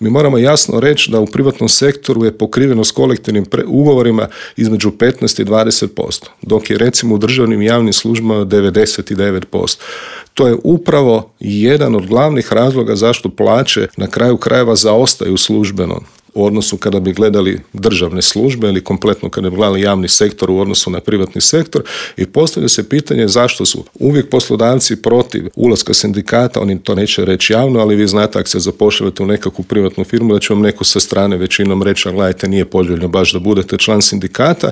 Mi moramo jasno reći da u privatnom sektoru je pokrivenost kolektivnim ugovorima između 15 i 20%, dok je recimo u državnim i javnim službama 99%. To je upravo jedan od glavnih razloga zašto plaće na kraju krajeva zaostaju službeno u odnosu kada bi gledali državne službe ili kompletno kada bi gledali javni sektor u odnosu na privatni sektor, i postavlja se pitanje zašto su uvijek poslodavci protiv ulaska sindikata. Oni to neće reći javno, ali vi znate ako se zapošljavate u nekakvu privatnu firmu da će vam neko sa strane većinom reći, gledajte, nije poželjno baš da budete član sindikata,